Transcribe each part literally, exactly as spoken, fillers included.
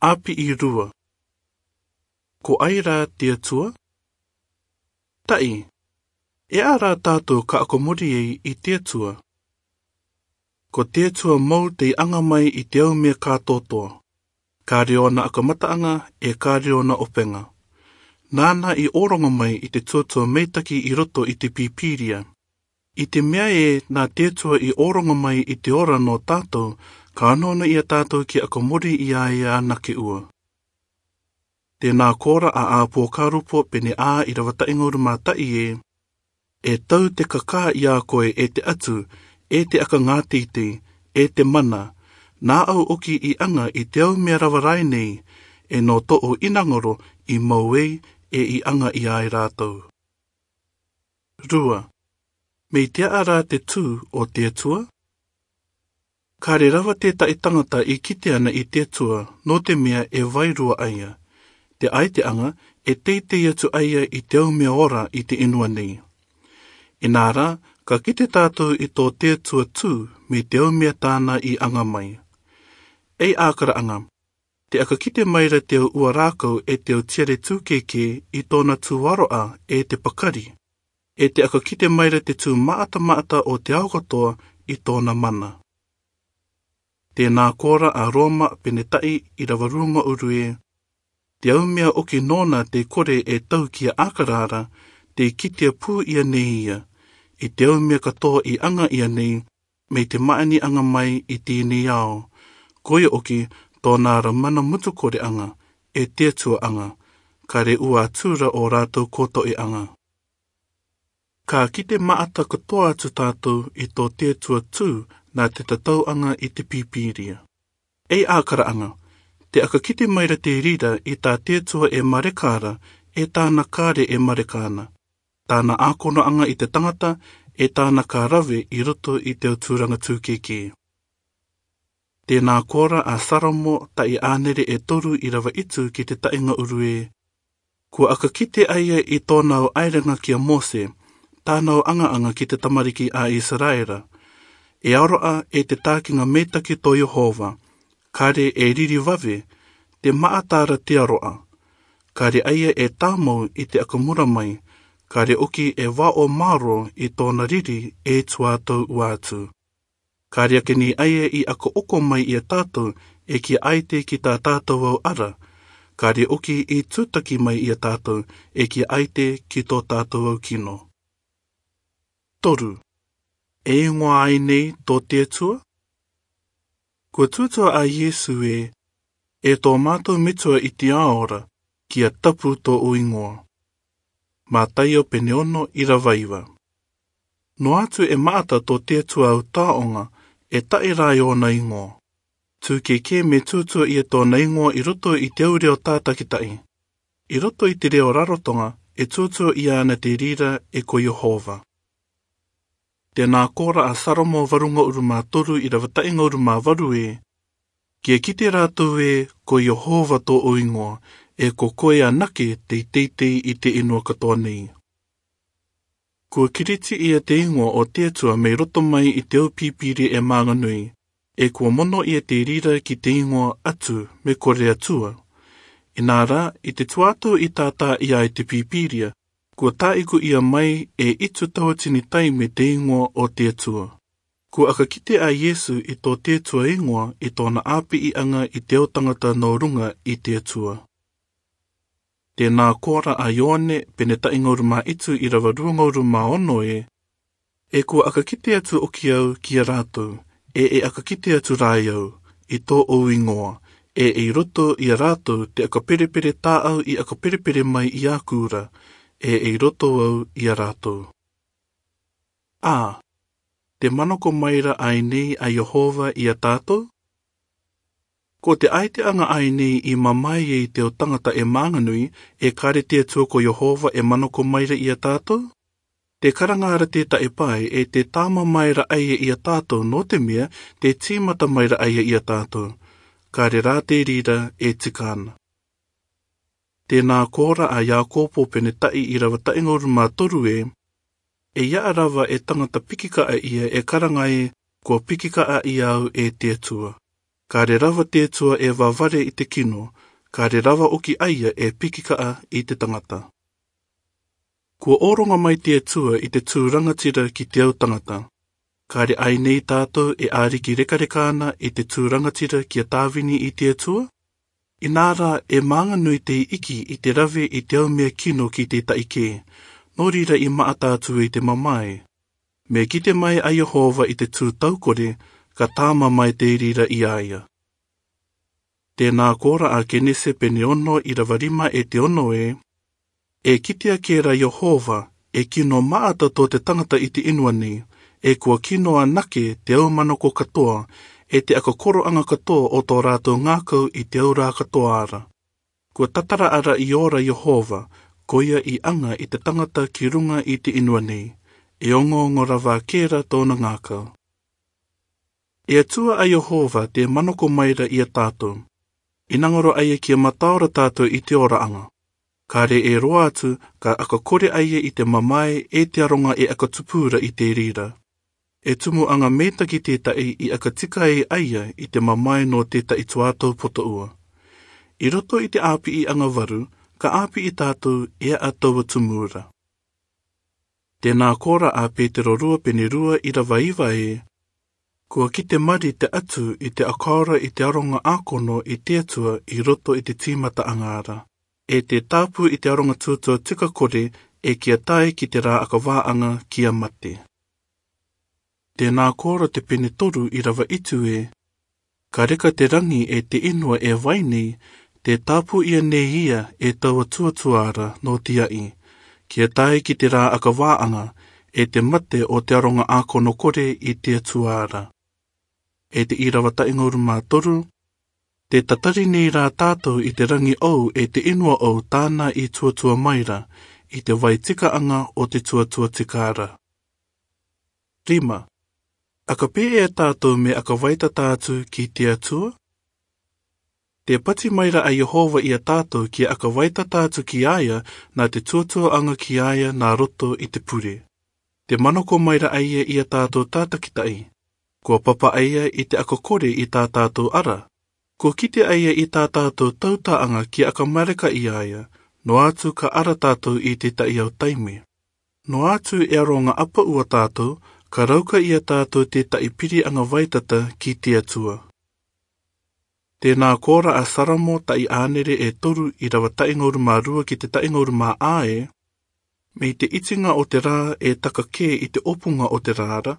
ʻĀpiʻi rua. Ko ai rā te Atua? Taʻi, e aʻa rā tātou ka ʻakamori ai i te Atua? Ko te Atua mau tei anga mai i te aumea kātoatoa. Kāre ōna ʻakamataʻanga, ʻe kāre ōna ʻopega. Nāna i ʻōroŋa mai i te tuatua meitaki i roto i te Pīpīria. I te mea ē nā te Atua i ʻōroŋa mai i te ora nō tātou, ka onoono ia tātou ki ʻakamori i a ia anake ua. Tēnā kōrā a ʻĀpōkarupo pene ʻā irava taʻi ʻahuru mā taʻi ē: E tau te kakā i a koe, e te atu, e te ʻakangāteitei, e te mana, nā ʻau ʻoki i anga i te aumea rava rā nei, ʻe nō tōʻu ʻinaŋoro i mau ai ʻe i anga i a rātou. Rua, mei te aʻa rā te tū o te Atua? Kāre rava tētaʻi tangata i kite ana i te Atua, nō te mea e vairua a ia. Te ʻaiteʻanga, e teitei atu a ia i te aumea ora i te inua nei. Inā rā, ka kite tātou i tō te Atua tū mei te aumea tāna i anga mai. Ei ʻākaraʻanga, te ʻakakite maira te au ua rākau e te au tiare tūkēkē i tōna tū aroʻa e te pakari, ʻe te ʻakakite maira te tū maʻata maʻata o te ao katoa i tōna mana. Tēnā kōrā a Roma pene taʻi irava rūŋa ʻuru ē: Te aumea ʻoki nōna tei kore e tau ki a ʻĀkara ra, tei kitia pū ia nei ia, i te aumea katoa i anga ia nei, mei te māʻaniʻaga mai i tēnei ao. Ko ia ʻoki tōna ra mana mutu koreʻaga, e te Atua ʻaga, kāre ua atura ō rātou kōtoʻeʻaga. Ka kite maʻata katoa atu tātou i tō te Atua tū nā te tatauʻaga i te Pīpīria. Ei ʻākaraʻaga, te ʻakakite maira te rira i tā te Atua e mareka ra, e tāna kāre e mareka na, tāna ʻākonoʻaga i te tangata, e tāna ka rave i roto i te au tūraga tūkēkē. Tēnā kōrā a Salomo taʻi ʻānere e toru irava itu ki te taʻi ʻahuru ē: Kua ʻakakite a ia i tōna au ʻaelega ki a Mōse, tāna au ʻagaʻaga ki te tamariki a Isaraela. E aroʻa e te tākiga meitaki tō Iehova, kāre e riri vave, te maʻata ra te aroʻa. Kāre a ia e tāmau i te ʻakamura mai, kāre ʻoki e vaʻo mārō i tōna riri e tuā tau ua atu. Kāre ake ni a ia i ʻakaʻoko mai ia tātou e kia ʻaite ki tā tātou au ara, kāre ʻoki i tūtaki mai ia tātou e kia ʻaite ki tō tātou au kino. Toru, e igoa ai nei tō te Atua? Kua tūtūa a Iesu ē: E tō mātou metua i te ao ra, kia tapu tōʻu igoa. Mataio pene ono irava iva. Noa atu e maʻata tō te Atua au tāʻoga, e taʻe rā e ōna igoa. Tūkēkē me tūtūa ia tōna igoa i roto i te au reo tātakitaʻi. I roto i te reo rarotoga, e tūtūa ia ana te rira e ko Iehova. Tēnā kōrā a Salomo varugaʻuru mā toru irava taʻi ʻahuru mā varu ē: Kia kite rātou ē ko Iehova tōʻu igoa, e ko koe anake tei teitei i te inua katoa nei. Kua Kiriti ia te igoa o te Atua mei roto mai i te au Pīpīria e māga nui, e kua mono ia te rira ki te igoa Atu me kore Atua. Inā rā, i te tuato i tātā ia i te Pīpīria, kua tāʻiku ia mai e itu tauatini taime te igoa o te Atua. Kua ʻakakite a Iesu i tō te Atua igoa i tōna ʻāpiʻiʻaga i te au tagata nō ruga i te Atua. Tēnā kōrā a Ioane pene taʻi ʻahuru mā itu irava rua ʻahuru mā ono ē: E kua ʻakakite atu ʻoki au ki a rātou, e e ʻakakite atu rā e au, i tōʻu igoa, e ei roto ia rātou te ʻakaperepere tāʻau i ʻakaperepere mai i aku ra, e ei roto au ia rātou. A, te manako maira ai nei a Iehova ia tātou? Ko te ʻaiteʻaga ai nei i mamae ai te au tagata e māga nui, e kāre te Atua ko Iehova e manako maira ia tātou? Te karanga ra te taʻe pae e te tāmamae ra a ia ia tātou, nō te mea te tīmata maira a ia ia tātou. Kāre rā te rira e tika na. Tēnā kōrā a Iakopo pene taʻi irava taʻi ʻahuru mā toru ē: E aʻa rava e tagata pikikaʻa ia e karanga ē, kua pikikaʻa ia au e te Atua. Kāre rava te Atua e vavare i te kino, Ka re rava oki aia e piki kaa i te tangata. Kua oronga mai te Atua i te tū rangatira ki te au tangata. Ka re ai nei tātou e ariki rekareka ana i te tū rangatira kia tāvini i te Atua? Inā rā e mānganui te Iki i te rave i te au mea kino ki te taʻi kē, nō reira i maata atu i te mamae. Me kite mai a Iehova i te tū taukore, ka tāma mai te reira i a ia. Tēnā koa ra a Kenese pene ono irava rima e te ono ē, e kitea kē ra Iehova, e kino maata tō te tangata i te inua nei, e kua kino anake te au manako katoa, e te akakoroaga katoa o tō rātou ngākau i te au rā katoa ra. Kua tatara ra i ora Iehova, ko ia i aŋa i te tangata ki ruŋa i te inua nei, e oŋoŋo rava kē ra tōna ngākau. E Atua a Iehova te manako mai ra i a tātou. I naŋoro aia kia mataora tātou i te oraaŋa. Ka re e roa atu, ka akakore aia i te mamae e te aroŋa e akatupu ra i te reira. E tumuaŋa metaki tētahi i akatika ai aia i te mamae nō tētahi tuatau potoua. I roto i te āpiiaŋa varu, ka āpii tātou e a taua tumu ra. Tēnā koa ra a Petero rua pene rua irava iva ē, kua kite mari te atu i te akaora i te aroŋa ākono i te Atua i roto i te tīmataaŋa ra. E te tāpū i te aroŋa tuatua tika kore e kia tae ki te rā akavāaŋa kia mate. Tēnā koa ra te pene toru irava itu ē, ka reka te raŋi e te inua e vai nei, te tāpū ia nei ia e taua tuatua ra nō te aʻi, kia tae ki te rā akavāaŋa, e te mate o te aroŋa ākono kore i te Atua ra. E te irava taʻi ŋaoruma toru, te tatari nei rā tātou i te raŋi ou e te inua ou tāna i tuatua mai ra, i te vai tikaaŋa o te tuatua tika ra. Rima, aka pē e a tātou me aka vaitata atu ki te Atua? Te pati mai ra a Iehova i a tātou kia aka vaitata atu ki aia, nā te tuatuaaŋa ki aia nā roto i te pure. Te manako mai ra aia i a tātou tātakitahi. Kua papa aia i te akakore i tā tātou ara. Kua kite aia i tā tātou tautaaŋa kia aka mareka i aia, noa atu ka ara tātou i tētahi au taime. Noa atu e aroŋa apau a tātou, ka rauka i a tātou tētahi piri aŋa vaitata ki te Atua. Tēnā koa ra a Saramo taʻi ānere e toru irava taʻi ŋaoruma rua ki te taʻi ŋaoruma ā ē, mei te itiŋa o te rā e taka kē i te opuŋa o te rā ra,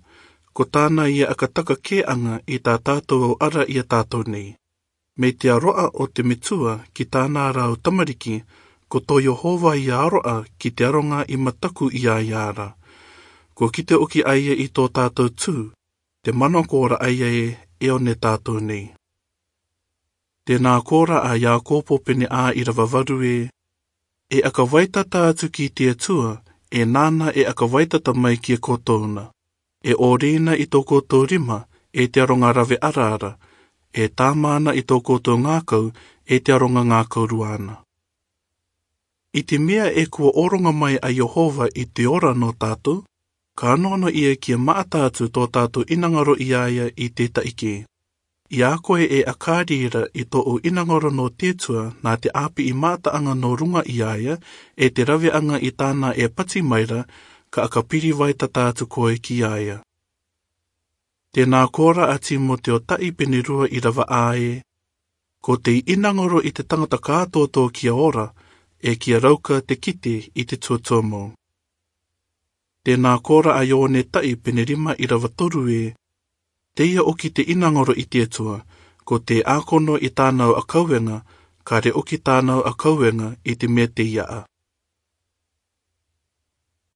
ko tāna ia aka taka kēaŋa i tā tātou au ara i a tātou nei. Mei te aroa o te metua ki tāna ra au tamariki, ko tō Iehova ia aroa ki te aroŋa i mataku i aia ra. Kua kite oki aia i tō tātou tū, te manako ra aia ē e one tātou nei. Tēnā koa ra a Iakopo pene ā irava varu ē, e aka vaitata atu ki te Atua, e nāna e aka vaitata mai ki a koutou na. E ōrina i tō koutou rima, e te aroŋa rave ara ra, e tāmana i tō koutou ngākau, e te aroŋa ngākau rua na. I te mea e kua oronga mai a Iehova i te ora nō tātou, ka nono ia kia maata atu tō tātou inaŋaro i aia i tētahi kē. I a koe e akari ra i tōu inaŋaro nō te Atua nā te āpii mataaŋa nō ruŋa i aia, e te raveaŋa i tāna e pati mai ra, ka aka piri vaitata atu koe ki aia. Tēnā koa ra a Timoteo taʻi pene rua irava ā ē, ko te inaŋaro i te tangata kātōtō kia ora, e kia rauka te kite i te tuatua mou. Tēnā koa ra a Ioane taʻi pene rima irava toru ē, teie oki te inaŋaro i te Atua, ko te ākono i tāna au akaueŋa, ka re oki tāna au akaueŋa i te mea tei aa.